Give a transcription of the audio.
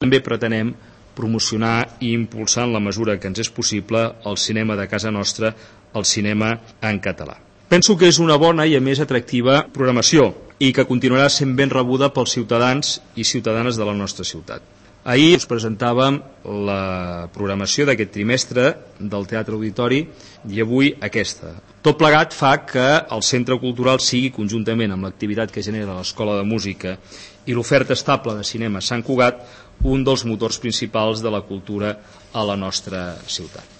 També pretenem promocionar i impulsar en la mesura que ens és possible el cinema de casa nostra, el cinema en català. Penso que és una bona i a més atractiva programació i que continuarà sent ben rebuda pels ciutadans i ciutadanes de la nostra ciutat. Ahir us presentàvem la programació d'aquest trimestre del Teatre Auditori i avui aquesta. Tot plegat fa que el Centre Cultural sigui, conjuntament amb l'activitat que genera l'Escola de Música i l'oferta estable de cinema Sant Cugat, un dels motors principals de la cultura a la nostra ciutat.